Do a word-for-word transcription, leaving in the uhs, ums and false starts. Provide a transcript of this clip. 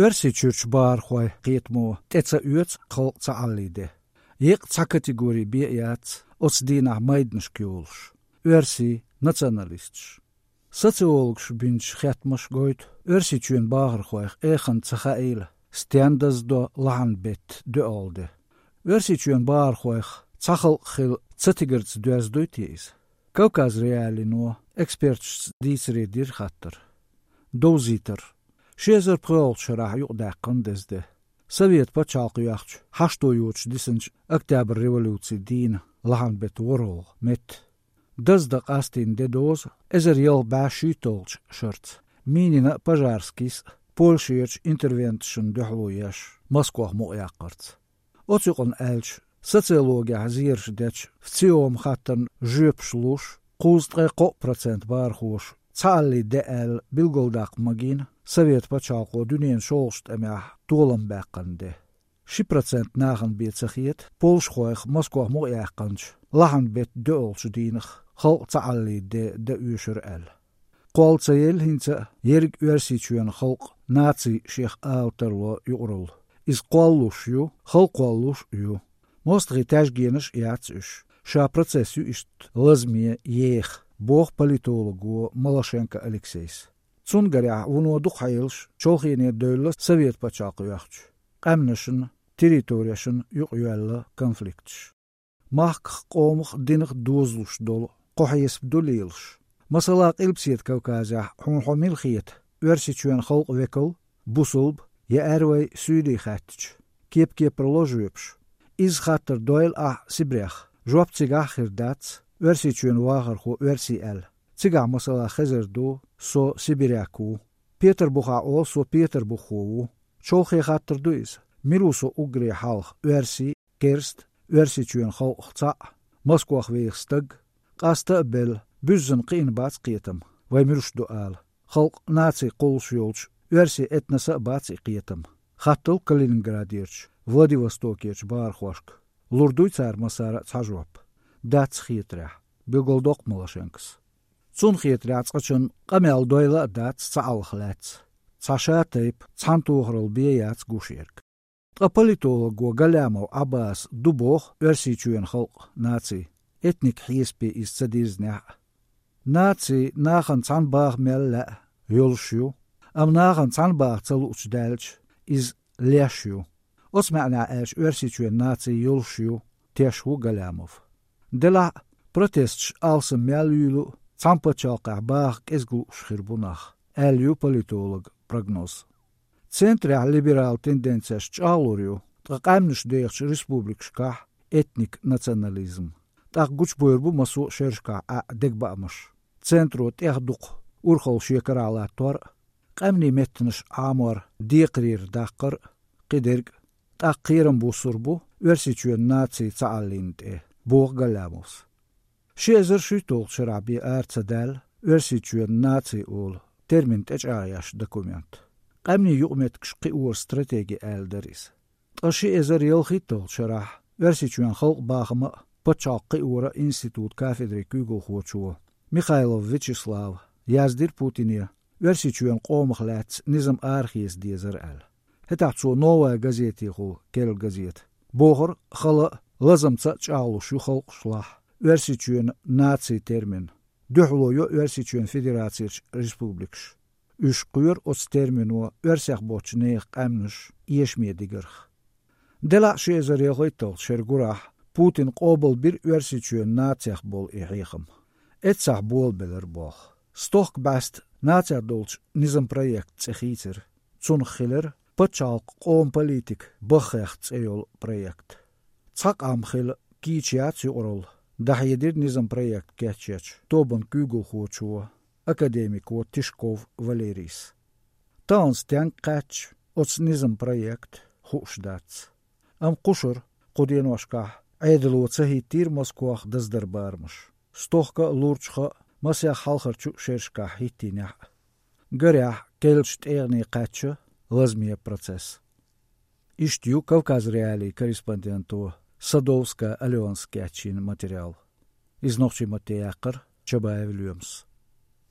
Оьрсийчуьрчу бахархойн кхетамо тӀе ца оьцу халкъ ца Ӏаллий де. Еккъа цхьа категори бен а яц оцу дийнахь майданашка йолуш: оьрсий, националисташ. Социологаша бинчу хеттамаша гойту, Оьрсийчоьнан бахархойх эханна ца хаийла, стенна даздо лахьан беттан доьалгӀа де. Оьрсийчоьнан бахархойх цхьа халкъ хила ца тигарца доьзна дуй те иза? Кавказ.Реалиино эксперташца дийцаре дира хаттар. Довзийтар. Ши эзар пхоьалгӀачу шарахь юкъадаьккхина деза де. Совет пачхьалкх йоьхча, хьашто йоцуш дисинчу Октябрь революцин дийнан лахьан беттан ворхӀалгӀа метта. Даздан къастийна де дозу эзар ялх бӀе шийтталгӀачу шарца, Минина а, Пожарскийс а Польшерчу интервенташна дуьхьало еш, Москох мукъаяккхарца. Оцу юкъана аьлча, социологехь зераш дечу ВЦИОМ хаттарна жоьпаш луш, кхузткъе кхоъ процент бахархоша ца Ӏаллий де аьлла билгалдаккха магийна Совет пачхьалкхо дуьненан шолгӀачу тӀамехь толам баьккхина де. Ши процент нахана бен ца хета, польшахойх Москох мукъаяьккхинчу лахьан беттан доьалгӀачу дийнах халкъ ца Ӏаллий де дан оьшура аьлла. Кхолла ца елла хӀинца а ерриг Оьрсийчоьнан халкъ наци шех ала тарло юкъаралла. Иза кхоллалуш ю, халла кхоллалуш а ю. МостагӀийн таьжгенаш а яц уьш. Ша процесс ю иштта лазаме, еха, боху политолого Малашенко Алексейс. Цунна гарехь, вуно дукха хьелаш чолхене девлла Совет пачхьалкх йоьхча, къаьмнашна, территорешна юкъайоьлла конфликташ. Махках, къомах, динах дозалуш долу кхо хьесап ду лелаш. Масала, Къилбаседа Кавказехь хьуна хьо мила хета, Оьрсийчоьнан халкъан векал, бусалба я аьрру вай суьйли хаьттича, кеп-кепара ло жоьпаш. Иза хаттар дойла ахь Сибрех, жоп цигахь а хир дац, Оьрсийчоьнан вахархо оьрси аьлла. Цигахь, масала, хезар ду: со сибиряк ву. Петарбухехь олу: со петарбуххо ву. Чолхе хаттар ду иза: мила ву со уггаре хьалха, оьрси, керста, Оьрсийчоьнан халкъах цхьаъ, Москох веха стаг? Къаста а белла, буьззина кхиъна бац кхетам, вай муьлш ду ала. Халкъ, наци кхуллуш йолчу оьрсийн этносан а бац и кхетам. Хаттал Калининградерчу, Владивостокерчу бахархошка. Лур дуй цара массара а цхьа жоп? Дац хетарехь, билгалдоккху Малашенкос. Цунна хетарехь, цкъачунна къамел дойла а дац цхьааллах лаьцна. Цхьа ша тайпа, цхьана тохаралла бен яц гуш ерг. Ткъа политолого Галямов Ӏаббаса ду боху Оьрсийчоьнан халкъ, наци, этник хьесапе иза ца дирзинехь а. Наци нахана цхьаьна баха мел лаьа, йолуш ю, амма нахана цхьаьна баха ца луучу даьлча, иза леш ю. Оцу маьӀнехь аьлча, Оьрсийчоьнан наци йолуш ю, теш ву Галямов. Делахь а, протесташ алсам мел юьйлу а, цхьана пачхьалкхехь баха кӀезиг лууш хир бу нах, аьлла ю политолога прогноз. Центрехь либерал тенденцеш чӀагӀлур ю, ткъа къаьмнаш дехачу республикашкахь этник национализм. ТӀаккха гучубойр бу массо а шерашкахь Ӏаьа дегабаамаш. Центро тӀех дукха урхалла шен карахь латтор а, къаьмнийн меттанаш Ӏамор декхарийра даккхар а, кхидерг а. ТӀаккха кхерам буссур бу Оьрсийчоьнан наци ца Ӏаллийна тӀе, боху Галямовс. Ши эзар шуьйтталгӀачу шарахь бен ара ца даьлла Оьрсийчоьнан наци олу термин тӀечӀагӀъеш документ. Къаьмнийн юкъаметтигаш кхиоран стратеги аьлла дара иза. Ткъа ши эзар ялхитталгӀачу шарахь Оьрсийчоьнан халкъан бахам а, пачхьалкх кхиоран институтан кафедрин куьйгалхочо Михайлов Вячеслава яздира Путине Оьрсийчоьнан къомах лаьцна низам арахеца дезара аьлла. ХӀетахь цо «Новая газетехула» керла газета бохура хала а, лазамца а чӀагӀлуш ю халкъашлахь Оьрсийчоьнан наци термин. Дуьхьало йо Оьрсийчоьнан Федерацерчу республикаш. Уьш кхоьру оцу термино оьрсех боцчу нехан къаьмнаш эшаме дигарх. Делахь а ши эзар ялхитталгӀачу шеран гурахь Путина къобалбира Оьрсийчоьнан нацех болу и хьехам. Эццахь болабелира болх. Стохка бӀаьста нацех долчу низам проект цӀе хийцира. Цунах хилира «Пачхьалкх, къоман политика, баххех» цӀе йолу проект. Цхьа къам хила кийча яц юкъаралла, дӀахьедира низам проект кечъечу тобанан куьйгалхочо, академико Тишков Валерийс. Тахана стенга кхаьчча оцу низам проект, хууш дац. Амма кхушара кху деношкахь Ӏедало ца хӀиттийра Москох даздар барамаш. Стохка а, лурчуха а, масех хьалхарчу шерашкахь хӀиттийнехь а. Гарехь, керлачу тӀегӀане кхаьчна лазаме процесс. Иштта ю Кавказ.Реалиин корреспонденто Садовская Аленас кечйина материал. Иза нохчийн матте яьккхира Чабаев Лоьмас.